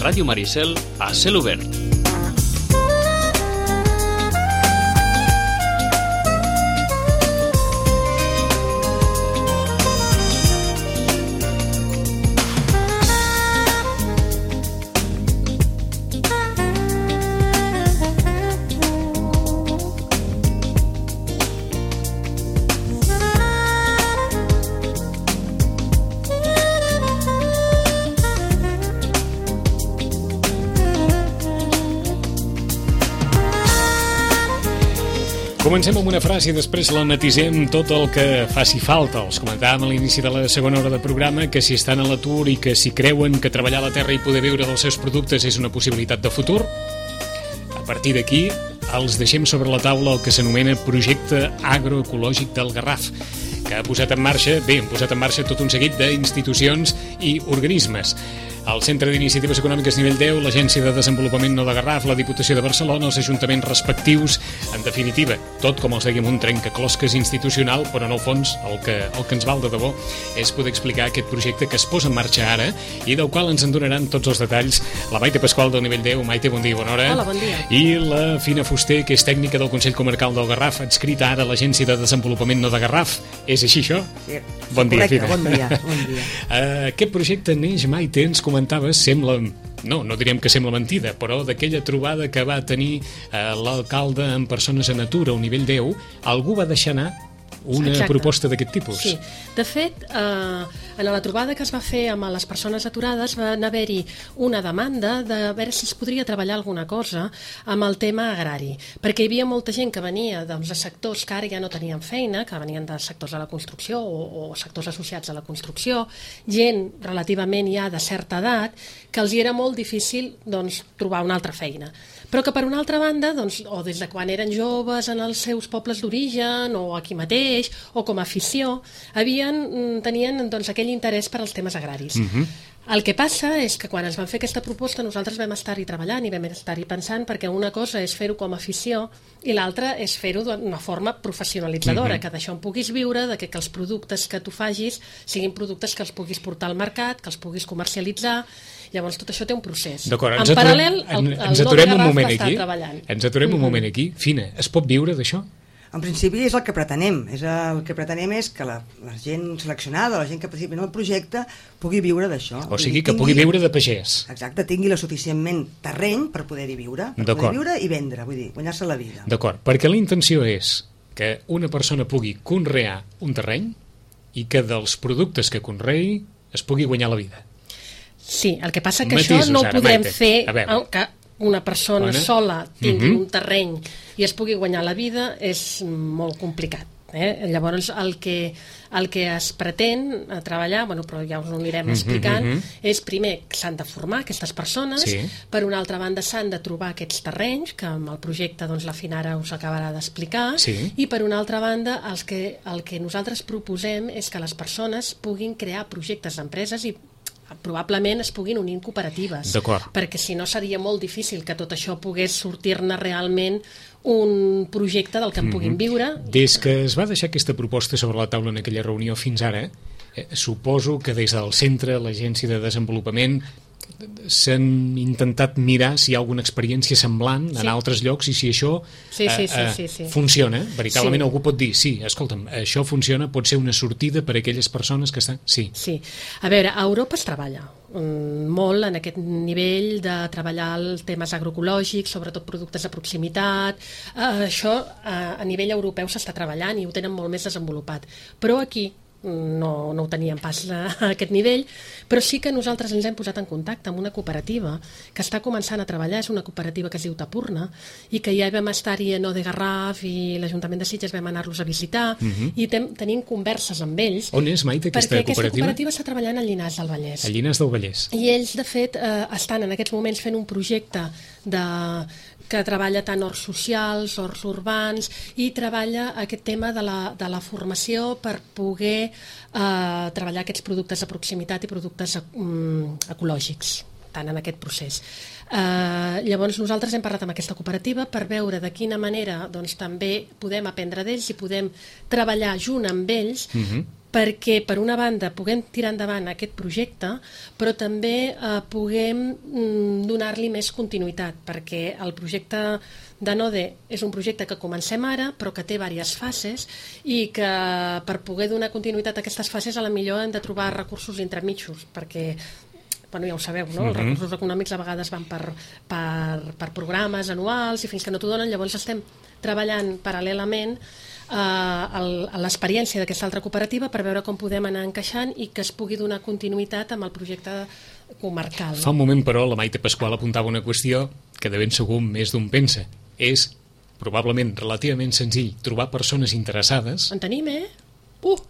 Ràdio Maricel a cel obert. Comencem amb una frase i després la matisem tot el que faci falta. Els comentàvem a l'inici de la segona hora de programa que si estan a l'atur i que si creuen que treballar a la terra i poder viure dels seus productes és una possibilitat de futur, a partir d'aquí els deixem sobre la taula el que s'anomena projecte agroecològic del Garraf, que han posat en marxa tot un seguit d'institucions i organismes. El Centre d'Iniciatives Econòmiques nivell 10, l'Agència de Desenvolupament No de Garraf, la Diputació de Barcelona, els ajuntaments respectius, en definitiva, tot com els dèiem un trencaclosques institucional, però en el fons el que ens val de debò és poder explicar aquest projecte que es posa en marxa ara i del qual ens en donaran tots els detalls la Maite Pasqual del nivell 10. Maite, bon dia, bona hora. Hola, bon dia. I la Fina Fuster, que és tècnica del Consell Comarcal del Garraf, adscrita ara a l'Agència de Desenvolupament No de Garraf. És així, això? Sí. Bon dia, correcte, Fina. bon dia. Aquest projecte neix, Maite, ens comentaves, sembla... No direm que sembla mentida, però d'aquella trobada que va tenir l'alcalde amb persones en atur a un nivell 10, algú va deixar anar una proposta d'aquest tipus. Sí, de fet, en la trobada que es va fer amb les persones aturades va haver-hi una demanda de veure si es podria treballar alguna cosa amb el tema agrari, perquè hi havia molta gent que venia de sectors que ara ja no tenien feina, que venien de sectors de la construcció o sectors associats a la construcció, gent relativament ja de certa edat, que els hi era molt difícil trobar una altra feina. Però que per una altra banda, o des de quan eren joves en els seus pobles d'origen, o aquí mateix, o com a afició, tenien aquell interès per als temes agraris. El que passa és que quan ens van fer aquesta proposta nosaltres vam estar-hi treballant i vam estar-hi pensant, perquè una cosa és fer-ho com a afició i l'altra és fer-ho d'una forma professionalitzadora, que d'això en puguis viure, que els productes que tu facis siguin productes que els puguis portar al mercat, que els puguis comercialitzar. Llavors tot això té un procés. D'acord, en paral·lel el No de Garraf va estar treballant. Ens aturem un moment aquí. Fina, es pot viure d'això? En principi és el que pretenem. El que pretenem és que la gent seleccionada, la gent que participi en el projecte, pugui viure d'això. O sigui, que pugui viure de pagès. Exacte, tingui la suficientment terreny per poder-hi viure. Per poder viure i vendre, vull dir, guanyar-se la vida. D'acord, perquè la intenció és que una persona pugui conrear un terreny i que dels productes que conreï es pugui guanyar la vida. Sí, el que passa que això no ho podem fer que una persona sola tingui un terreny i es pugui guanyar la vida, és molt complicat. Llavors el que es pretén treballar, però ja us ho anirem explicant, és primer que s'han de formar aquestes persones, per una altra banda s'han de trobar aquests terrenys, que amb el projecte la Fina ara us acabarà d'explicar, i per una altra banda el que nosaltres proposem és que les persones puguin crear projectes d'empreses i probablement es puguin unir en cooperatives, perquè si no seria molt difícil que tot això pogués sortir-ne realment un projecte del que en puguin viure. Des que es va deixar aquesta proposta sobre la taula en aquella reunió fins ara, suposo que des del centre, l'Agència de Desenvolupament, s'han intentat mirar si hi ha alguna experiència semblant en altres llocs i si això funciona. Veritablement algú pot dir, sí, escolta'm, això funciona, pot ser una sortida per a aquelles persones que estan... Sí. A veure, a Europa es treballa molt en aquest nivell de treballar els temes agroecològics, sobretot productes de proximitat. Això a nivell europeu s'està treballant i ho tenen molt més desenvolupat. Però aquí no ho teníem pas a aquest nivell, però sí que nosaltres ens hem posat en contacte amb una cooperativa que està començant a treballar, és una cooperativa que es diu Tapurna, i que ja vam estar-hi a No de Garraf i l'Ajuntament de Sitges vam anar-los a visitar i tenim converses amb ells. On és, Maite, aquesta cooperativa? Perquè aquesta cooperativa està treballant a Llinars del Vallès. A Llinars del Vallès. I ells, de fet, estan en aquests moments fent un projecte que treballa tant horts socials, horts urbans, i treballa aquest tema de la formació per poder treballar aquests productes de proximitat i productes ecològics, tant en aquest procés. Llavors nosaltres hem parlat amb aquesta cooperativa per veure de quina manera també podem aprendre d'ells i podem treballar junt amb ells perquè per una banda puguem tirar endavant aquest projecte, però també puguem donar-li més continuïtat, perquè el projecte de Node és un projecte que comencem ara, però que té diverses fases i que per poder donar continuïtat a aquestes fases a la millor hem de trobar recursos intermitjos, perquè bueno, ja ho sabeu, no? Els recursos econòmics a vegades van per programes anuals i fins que no t'ho donen, llavors estem treballant paral·lelament a l'experiència d'aquesta altra cooperativa per veure com podem anar encaixant i que es pugui donar continuïtat amb el projecte comarcal. Fa un moment, però, la Maite Pasqual apuntava una qüestió que de ben segur més d'un pensa. És probablement relativament senzill trobar persones interessades. En tenim,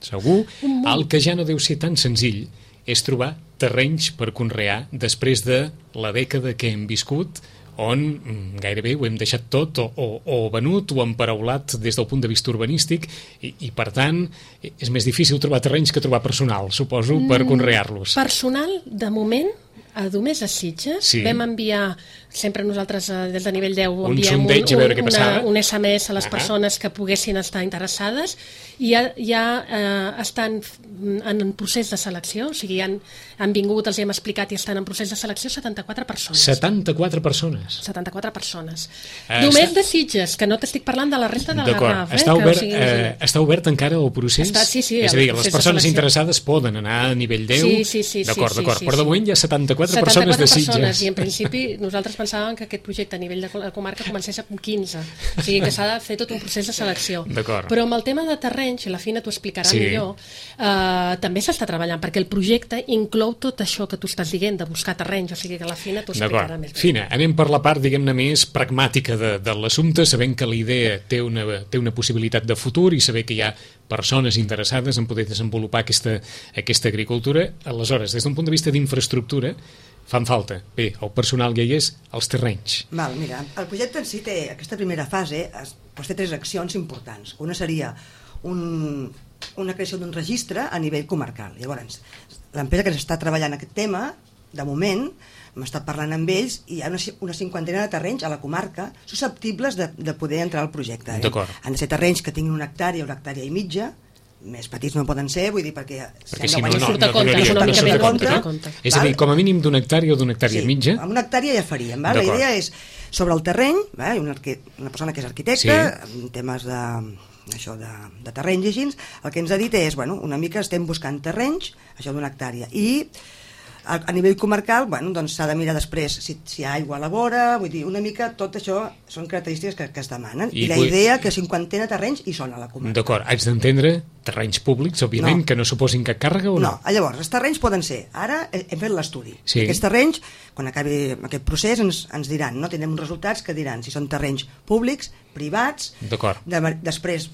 Segur. El que ja no deu ser tan senzill és trobar terrenys per conrear després de la dècada que hem viscut, on gairebé ho hem deixat tot o venut o emparaulat des del punt de vista urbanístic i per tant és més difícil trobar terrenys que trobar personal, suposo, per conrear-los. Personal, de moment, a Domés a Sitges, vam enviar, sempre nosaltres des de nivell 10 enviem un SMS a les persones que poguessin estar interessades i ja estan en procés de selecció, o sigui, han vingut, els hem explicat i estan en procés de selecció 74 persones. 74 persones? 74 persones. Només de Sitges, que no t'estic parlant de la resta de Garraf. Està obert encara el procés? Sí. És a dir, les persones interessades poden anar a nivell 10? Sí. D'acord. Però de moment hi ha 74 persones de Sitges. I en principi nosaltres pensàvem que aquest projecte a nivell de la comarca comencés amb 15, o sigui que s'ha de fer tot un procés de selecció. Però amb el tema de terrenys, i la Fina t'ho explicarà millor, també s'està treballant, perquè el projecte inclou tot això que tu estàs dient, de buscar terrenys, o sigui que la Fina t'ho explicarà més bé. Fina, anem per la part, diguem-ne, més pragmàtica de l'assumpte, sabent que la idea té una possibilitat de futur i saber que hi ha persones interessades en poder desenvolupar aquesta agricultura. Aleshores, des d'un punt de vista d'infraestructura, fan falta. Bé, el personal ja hi és, els terrenys. Mira, el projecte en si té, aquesta primera fase, té 3 accions importants. Una seria una creació d'un registre a nivell comarcal. Llavors, l'empresa que s'està treballant aquest tema, de moment, hem estat parlant amb ells i hi ha una 50ena de terrenys a la comarca susceptibles de poder entrar al projecte. Han de ser terrenys que tinguin 1 hectàrea o 1 hectàrea i mitja, més petits no poden ser, vull dir, perquè si no surt a compte. És a dir, com a mínim d'1 hectàrea o d'1 hectàrea i mitja. Amb 1 hectàrea ja faríem. La idea és, sobre el terreny, una persona que és arquitecte, en temes de terrenys i així, el que ens ha dit és, una mica estem buscant terrenys, això d'1 hectàrea, i a nivell comarcal, doncs s'ha de mirar després si hi ha aigua a la vora, vull dir, una mica tot això són característiques que es demanen. I la idea que 50 terrenys hi són a la comarca. D'acord, haig d'entendre terrenys públics, òbviament, que no suposin cap càrrega o no? No, llavors, els terrenys poden ser, ara hem fet l'estudi. Aquests terrenys, quan acabi aquest procés, ens diran, no? Tindrem uns resultats que diran si són terrenys públics, privats, després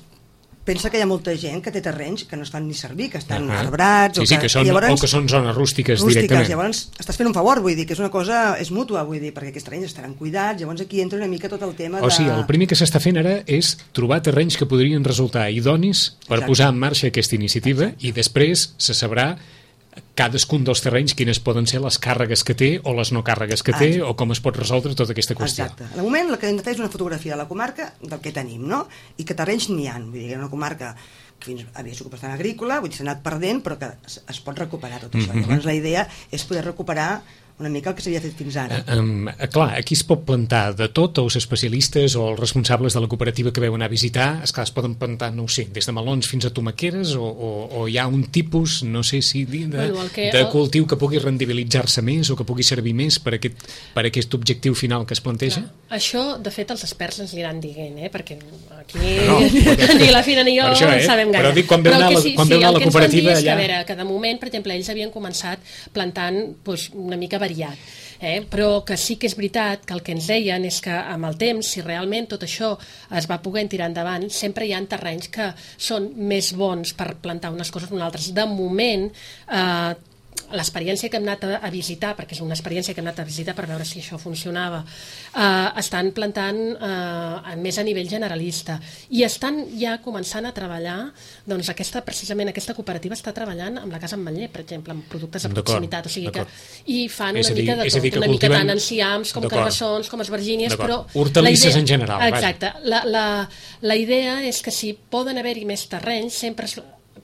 pensa que hi ha molta gent que té terrenys que no es fan ni servir, que estan arbrats o que són zones rústiques directament. Llavors estàs fent un favor, vull dir que és una cosa, és mútua, vull dir, perquè aquests terrenys estaran cuidats, llavors aquí entra una mica tot el tema O sigui, el primer que s'està fent ara és trobar terrenys que podrien resultar idonis per posar en marxa aquesta iniciativa i després se sabrà cadascun dels terrenys quines poden ser les càrregues que té o les no càrregues que té o com es pot resoldre tota aquesta qüestió. Exacte. De moment el que hem de fer és una fotografia de la comarca del que tenim, no? I que terrenys n'hi ha. Vull dir, hi ha una comarca que fins havia sigut bastant agrícola, vull dir, s'ha anat perdent, però que es pot recuperar tot això. Llavors la idea és poder recuperar una mica el que s'havia fet fins ara. Clar, aquí es pot plantar de tot, els especialistes o els responsables de la cooperativa que veuen a visitar, esclar, es poden plantar, no ho sé, des de melons fins a tomaqueres o hi ha un tipus, no sé si dir, de cultiu que pugui rendibilitzar-se més o que pugui servir més per aquest objectiu final que es planteja? Això, de fet, els experts ens aniran dient, perquè aquí ni la Fina ni jo sabem gaire. Però dic, quan veu anar la cooperativa allà... Que de moment, per exemple, ells havien començat plantant una mica variat, però que sí que és veritat que el que ens deien és que amb el temps, si realment tot això es va poder tirar endavant, sempre hi ha terrenys que són més bons per plantar unes coses que unes altres. De moment, l'experiència que hem anat a visitar, perquè és una experiència que hem anat a visitar per veure si això funcionava, estan plantant més a nivell generalista i estan ja començant a treballar, doncs precisament aquesta cooperativa està treballant amb la Casa Ametller, per exemple, amb productes de proximitat, o sigui que i fan una mica de tot, una mica tant enciams com carbassons, com esvergínies, però hortalisses en general. Exacte, la idea és que si poden haver-hi més terrenys, sempre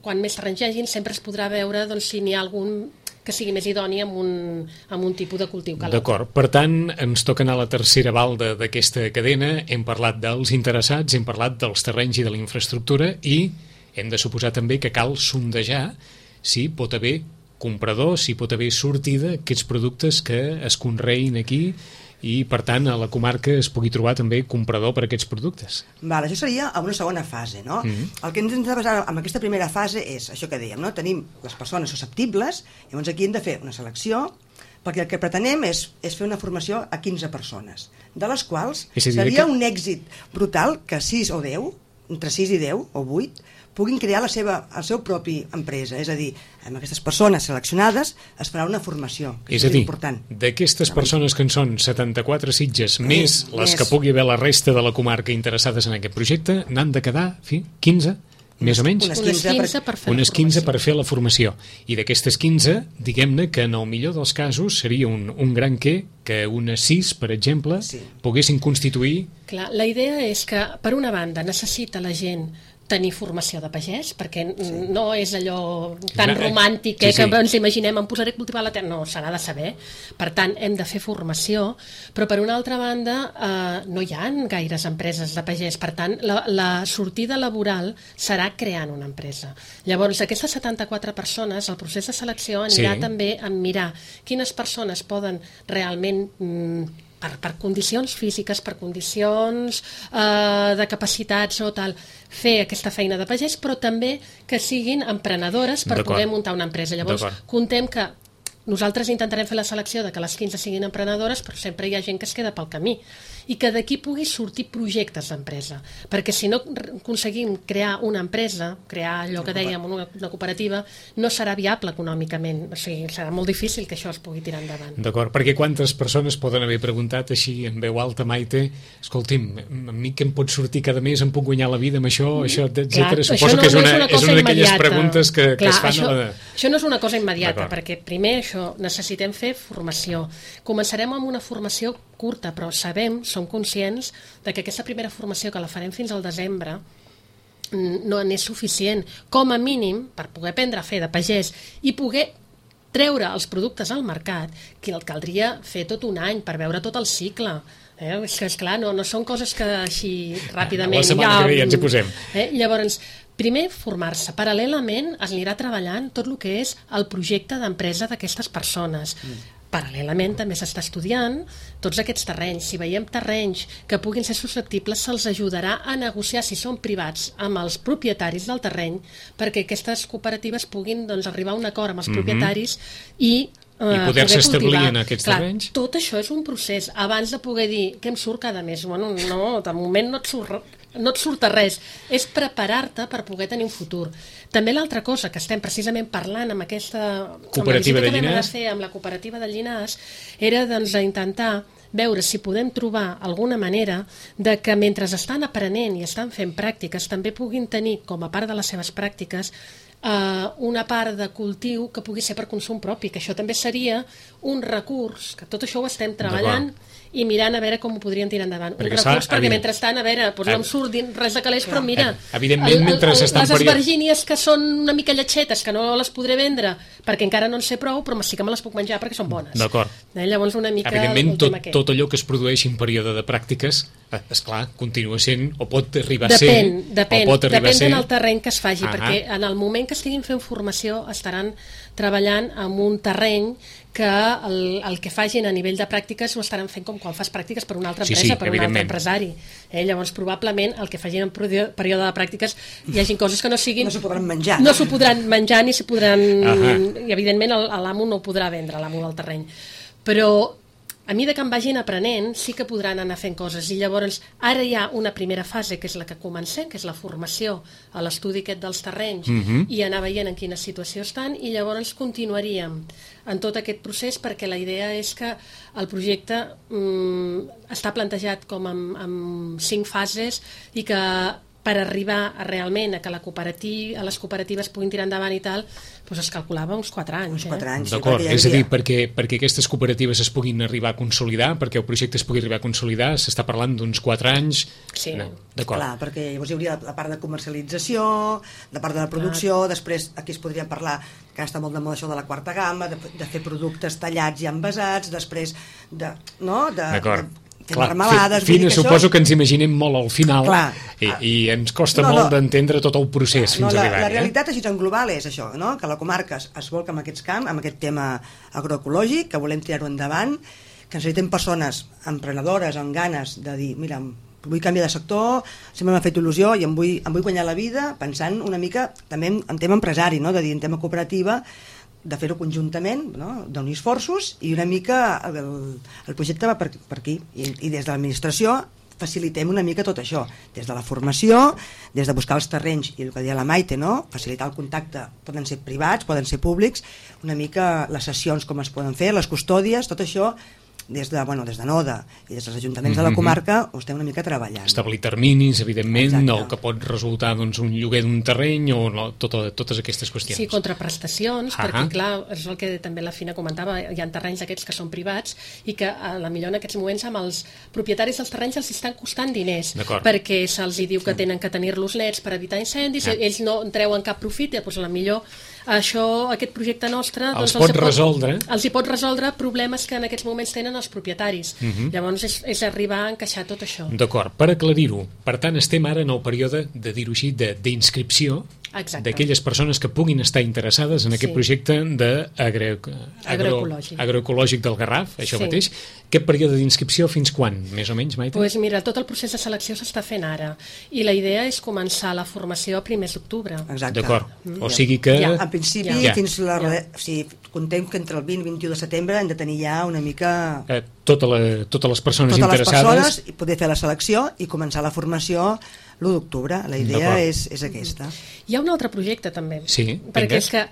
quan més terrenys hi hagin, sempre es podrà veure si n'hi ha algun que sigui més idoni amb un tipus de cultiu que l'altre. D'acord, per tant, ens toca anar a la tercera balda d'aquesta cadena. Hem parlat dels interessats, hem parlat dels terrenys i de la infraestructura i hem de suposar també que cal sondejar si pot haver comprador, si pot haver sortida aquests productes que es conreïn aquí i, per tant, a la comarca es pugui trobar també comprador per a aquests productes. Val, això seria a una segona fase, no? El que ens hem de basar en aquesta primera fase és això que dèiem, no? Tenim les persones susceptibles, llavors aquí hem de fer una selecció, perquè el que pretenem és fer una formació a 15 persones, de les quals seria un èxit brutal que 6 o 10, entre 6 i 10 o 8, puguin crear la seu propi empresa. És a dir, amb aquestes persones seleccionades es farà una formació, que és important. D'aquestes persones que en són 74 Sitges, més les que pugui haver la resta de la comarca interessades en aquest projecte, n'han de quedar 15, més o menys? Unes 15 per fer la formació. I d'aquestes 15, diguem-ne que en el millor dels casos seria un gran que unes 6, per exemple, poguessin constituir... Clar, la idea és que, per una banda, necessita la gent tenir formació de pagès, perquè no és allò tan romàntic que ens imaginem, em posaré a cultivar la terra. No, se n'ha de saber. Per tant, hem de fer formació, però per una altra banda no hi ha gaires empreses de pagès. Per tant, la sortida laboral serà creant una empresa. Llavors, aquestes 74 persones, el procés de selecció anirà també a mirar quines persones poden realment... per condicions físiques, per condicions de capacitats o tal, fer aquesta feina de pagès, però també que siguin emprenedores per poder muntar una empresa. Llavors, contem que nosaltres intentarem fer la selecció de que les 15 siguin emprenedores, però sempre hi ha gent que es queda pel camí i que d'aquí pugui sortir projectes d'empresa, perquè si no aconseguim crear una empresa, crear allò que dèiem, una cooperativa, no serà viable econòmicament, o sigui, serà molt difícil que això es pugui tirar endavant. D'acord, perquè quantes persones poden haver preguntat així en veu alta, Maite, escolti'm, a mi què em pot sortir cada mes, em puc guanyar la vida amb això, etcètera? Suposo que és una d'aquelles preguntes que es fan a la... Això no és una cosa immediata, perquè primer això necessitem fer formació. Començarem amb una formació curta, però som conscients de que aquesta primera formació que la farem fins al desembre no n'és suficient. Com a mínim, per poder aprendre a fer de pagès i poder treure els productes al mercat, que el caldria fer tot un any per veure tot el cicle. És que, esclar, no són coses que així ràpidament... La setmana que ve ja ens hi posem. Llavors, primer formar-se. Paral·lelament es anirà treballant tot el que és el projecte d'empresa d'aquestes persones. Paral·lelament també s'està estudiant tots aquests terrenys. Si veiem terrenys que puguin ser susceptibles, se'ls ajudarà a negociar, si són privats, amb els propietaris del terreny, perquè aquestes cooperatives puguin arribar a un acord amb els propietaris i poder-se establir en aquests terrenys. Tot això és un procés. Abans de poder dir què em surt cada mes, bueno, no, de moment no et surt res. És preparar-te per poder tenir un futur. També l'altra cosa que estem precisament parlant amb aquesta cooperativa de Llinars, amb la cooperativa de Llinars, era d'intentar veure si podem trobar alguna manera de que mentre estan aprenent i estan fent pràctiques també puguin tenir com a part de les seves pràctiques una part de cultiu que pugui ser per consum propi, que això també seria un recurs, que tot això ho estem treballant i mirant a veure com ho podrien tirar endavant. Un recurs perquè mentrestant, a veure, no em surt res de calés, però mira, les espargínies que són una mica lletxetes, que no les podré vendre perquè encara no en sé prou, però sí que me les puc menjar perquè són bones. D'acord. Llavors una mica... Evidentment, tot allò que es produeixi en període de pràctiques, esclar, continua sent, o pot arribar a ser... Depèn del terreny que es faci, perquè en el moment que estiguin fent formació estaran treballant en un terreny que el que facin a nivell de pràctiques ho estaran fent com quan fas pràctiques per una altra empresa, per un altre empresari. Llavors, probablement, el que facin en període de pràctiques hi hagin coses que no siguin... No s'ho podran menjar. No s'ho podran menjar ni s'ho podran... I, evidentment, l'amo no ho podrà vendre, l'amo del terreny. Però a mesura que en vagin aprenent, sí que podran anar fent coses. I llavors, ara hi ha una primera fase, que és la que comencem, que és la formació a l'estudi aquest dels terrenys, i anar veient en quina situació estan, i llavors continuaríem en tot aquest procés, perquè la idea és que el projecte està plantejat com amb 5 fases i que per arribar realment a que les cooperatives puguin tirar endavant i tal, doncs es calculava uns 4 anys. Uns 4 anys. D'acord, és a dir, perquè aquestes cooperatives es puguin arribar a consolidar, perquè el projecte es pugui arribar a consolidar, s'està parlant d'uns 4 anys. Sí. No, d'acord. Clar, perquè llavors hi hauria la part de comercialització, la part de la producció, després aquí es podria parlar, que està molt de moda això de la quarta gamma, de fer productes tallats i envasats, després de... No? D'acord. Clar, marmelades... Fina, suposo que ens imaginem molt al final. Clar. I ens costa molt d'entendre tot el procés fins a arribar-hi. La realitat així en global és això, no? Que la comarca es volca en aquest camp, amb aquest tema agroecològic, que volem tirar-ho endavant, que necessitem persones emprenedores amb ganes de dir, mira, vull canviar de sector, sempre m'ha fet il·lusió i em vull guanyar la vida pensant una mica també en tema empresari, no? De dir, en tema cooperativa, de fer-ho conjuntament, no? D'unir esforços, i una mica el projecte va per aquí, i des de l'administració facilitem una mica tot això, des de la formació, des de buscar els terrenys, i el que deia la Maite, no? Facilitar el contacte, poden ser privats, poden ser públics, una mica les sessions com es poden fer, les custòdies, tot això des de NODA i des dels ajuntaments de la comarca ho estem una mica treballant. Establir terminis, evidentment, Exacte. el que pot resultar doncs, un lloguer d'un terreny o no, totes aquestes qüestions. Sí, contraprestacions, perquè clar, és el que també la Fina comentava, hi ha terrenys aquests que són privats i que a la millor en aquests moments amb els propietaris dels terrenys els estan costant diners, perquè se'ls diu que tenen que tenir-los nets per evitar incendis, ells no en treuen cap profit, doncs a la millor aquest projecte nostre els hi pot resoldre problemes que en aquests moments tenen els propietaris. Llavors és arribar a encaixar tot això. D'acord, per aclarir-ho, per tant estem ara en el període, de dir-ho així, d'inscripció d'aquelles persones que puguin estar interessades en aquest projecte agroecològic del Garraf, això mateix. Aquest període d'inscripció fins quan, més o menys, Maite? Doncs mira, tot el procés de selecció s'està fent ara i la idea és començar la formació a primers d'octubre. Exacte. D'acord, o sigui que... En principi, fins contem que entre el 20 i 21 de setembre hem de tenir ja una mica... Totes les persones interessades... i poder fer la selecció i començar la formació l'1 d'octubre. La idea és aquesta. Hi ha un altre projecte també, perquè és que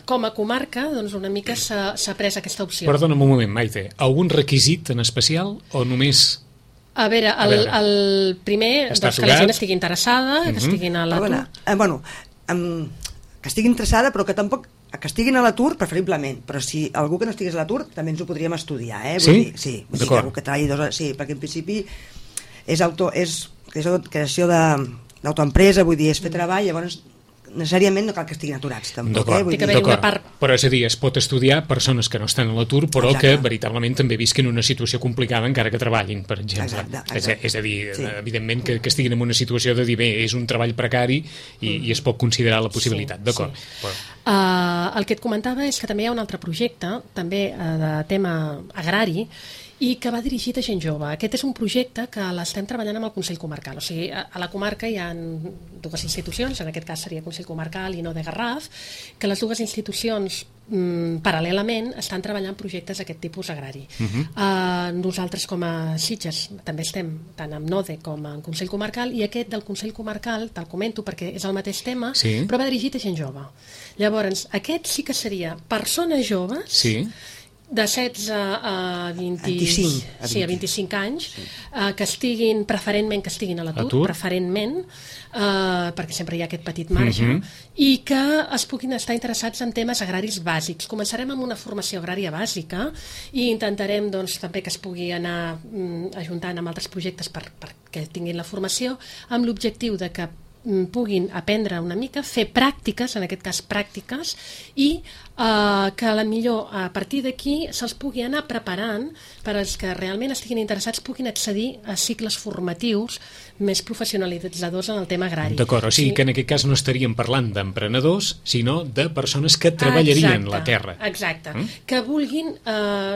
com a comarca doncs una mica s'ha pres aquesta opció. Perdona'm un moment, Maite, algun requisit en especial o només... A veure, el primer, que la gent estigui interessada, que estiguin a l'atur... Que estigui interessada, però que tampoc... que estiguin a l'atur, preferiblement, però si algú que no estigués a l'atur també ens ho podríem estudiar, Sí? Sí, algú que treballi sí, perquè en principi és creació d'autoempresa, vull dir, és fer treball, llavors necessàriament no cal que estiguin aturats tampoc. Però és a dir, es pot estudiar persones que no estan a l'atur però que veritablement també visquen una situació complicada encara que treballin, per exemple. És a dir, evidentment que estiguin en una situació de dir, bé, és un treball precari i es pot considerar la possibilitat. D'acord. El que et comentava és que també hi ha un altre projecte, també de tema agrari, i que va dirigit a gent jove. Aquest és un projecte que l'estem treballant amb el Consell Comarcal. O sigui, a la comarca hi ha 2 institucions, en aquest cas seria Consell Comarcal i NODA Garraf, que les 2 institucions paral·lelament estan treballant projectes d'aquest tipus agrari. Nosaltres com a Sitges també estem tant amb NODE com amb Consell Comarcal, i aquest del Consell Comarcal, te'l comento perquè és el mateix tema, però va dirigit a gent jove. Llavors, aquest sí que seria persones joves de 16 a 25 anys, que estiguin, preferentment que estiguin a l'atur, preferentment, perquè sempre hi ha aquest petit marge, i que es puguin estar interessats en temes agraris bàsics. Començarem amb una formació agrària bàsica i intentarem també que es pugui anar ajuntant amb altres projectes perquè tinguin la formació, amb l'objectiu de que puguin aprendre una mica, fer pràctiques, en aquest cas pràctiques, i que a la millor a partir d'aquí se'ls pugui anar preparant per als que realment estiguin interessats puguin accedir a cicles formatius més professionalitzadors en el tema agrari. D'acord, o sigui que en aquest cas no estaríem parlant d'emprenedors, sinó de persones que treballarien la terra. Exacte, que vulguin,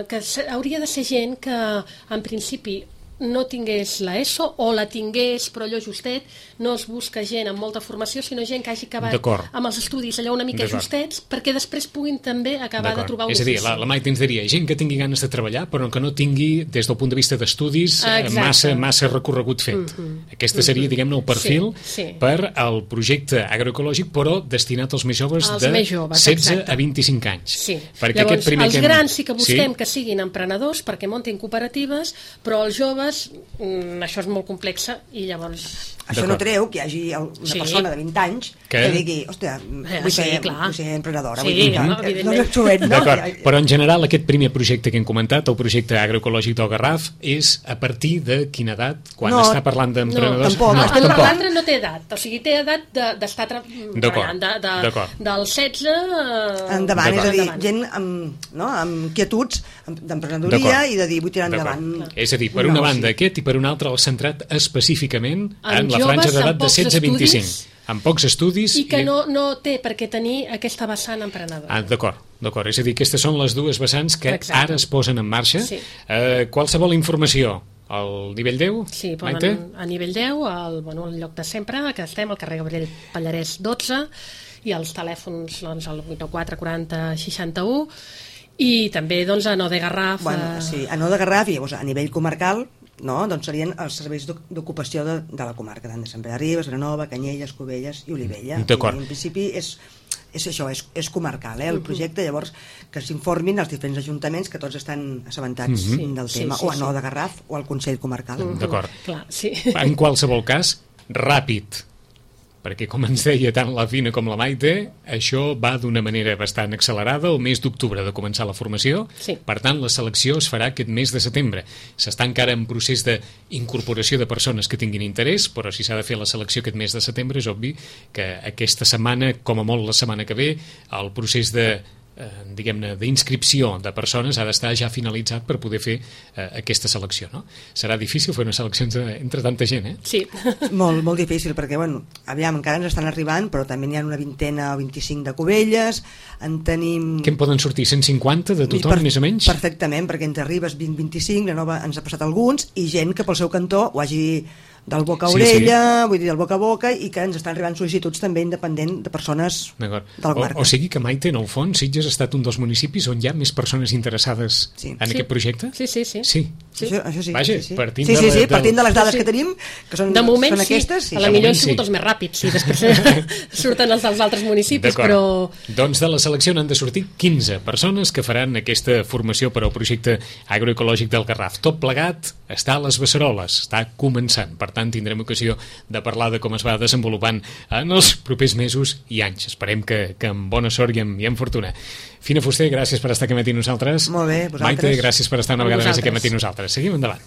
que hauria de ser gent que en principi no tingués la ESO o la tingués però allò justet, no es busca gent amb molta formació, sinó gent que hagi acabat amb els estudis allò una mica justets perquè després puguin també acabar de trobar un ofici. És a dir, la Maite ens diria gent que tingui ganes de treballar però que no tingui des del punt de vista d'estudis massa recorregut fet. Aquesta seria, diguem-ne, el perfil per al projecte agroecològic però destinat als més joves de 16 a 25 anys. Llavors, els grans sí que busquem que siguin emprenedors perquè muntin cooperatives, però els joves això és molt complex i llavors Això no treu que hi hagi una persona de 20 anys que digui, hòstia, vull ser emprenedora. Sí, evidentment. D'acord, però en general aquest primer projecte que hem comentat, el projecte agroecològic del Garraf, és a partir de quina edat? Quan està parlant d'emprenedors? Tampoc. L'altre no té edat, o sigui, té edat d'estar treballant, del 16 endavant, és a dir, gent amb inquietuds d'emprenedoria i de dir, vull tirar endavant. És a dir, per una banda aquest i per una altra l'ha centrat específicament en la franja d'edat de 16 a 25, amb pocs estudis i que no té per què tenir aquesta vessant emprenedora. D'acord, és a dir, aquestes són les dues vessants que ara es posen en marxa. Qualsevol informació al nivell 10? Sí, poden a nivell 10, al lloc de sempre, que estem al carrer Gabriel Pallarès 12, i els telèfons al 894 40 61, i també a No de Garraf. Sí, a No de Garraf, i a nivell comarcal, doncs serien els serveis d'ocupació de la comarca, tant de Sant Pere de Ribes, Vilanova, Canyelles, Cubelles i Olivella. D'acord. En principi és això, és comarcal, el projecte, llavors que s'informin els diferents ajuntaments que tots estan assabentats del tema, o a No de Garraf o al Consell Comarcal. D'acord. En qualsevol cas, ràpid, perquè com ens deia tant la Fina com la Maite, això va d'una manera bastant accelerada, el mes d'octubre de començar la formació, per tant la selecció es farà aquest mes de setembre. S'està encara en procés d'incorporació de persones que tinguin interès, però si s'ha de fer la selecció aquest mes de setembre és obvi que aquesta setmana, com a molt la setmana que ve, el procés d'inscripció de persones ha d'estar ja finalitzat per poder fer aquesta selecció, no? Serà difícil fer una selecció entre tanta gent, Sí. Molt difícil, perquè, aviam, encara ens estan arribant, però també n'hi ha una 20 o 25 de Cubelles, en tenim... Que en poden sortir 150 de tothom, més o menys? Perfectament, perquè entre Ribes 20-25, la Nova ens ha passat alguns, i gent que pel seu cantó ho hagi del boca a orella, vull dir, del boca a boca, i que ens estan arribant sol·licituds també independent de persones de la comarca. O sigui que, Maite, en el fons, Sitges ha estat un dels municipis on hi ha més persones interessades en aquest projecte? Sí. Això sí. Vaja, partint de les dades que tenim, que són aquestes. De moment, a la millor han sigut els més ràpids, i després surten els dels altres municipis, però... Doncs de la selecció n'han de sortir 15 persones que faran aquesta formació per al projecte agroecològic del Garraf. Tot plegat està a les Beceroles, està començant. Per tant, tindrem ocasió de parlar de com es va desenvolupant en els propers mesos i anys. Esperem que amb bona sort i amb fortuna. Fina Fuster, gràcies per estar aquí amb nosaltres. Molt bé, vosaltres. Maite, gràcies per estar una vegada més aquí amb nosaltres. Seguim endavant.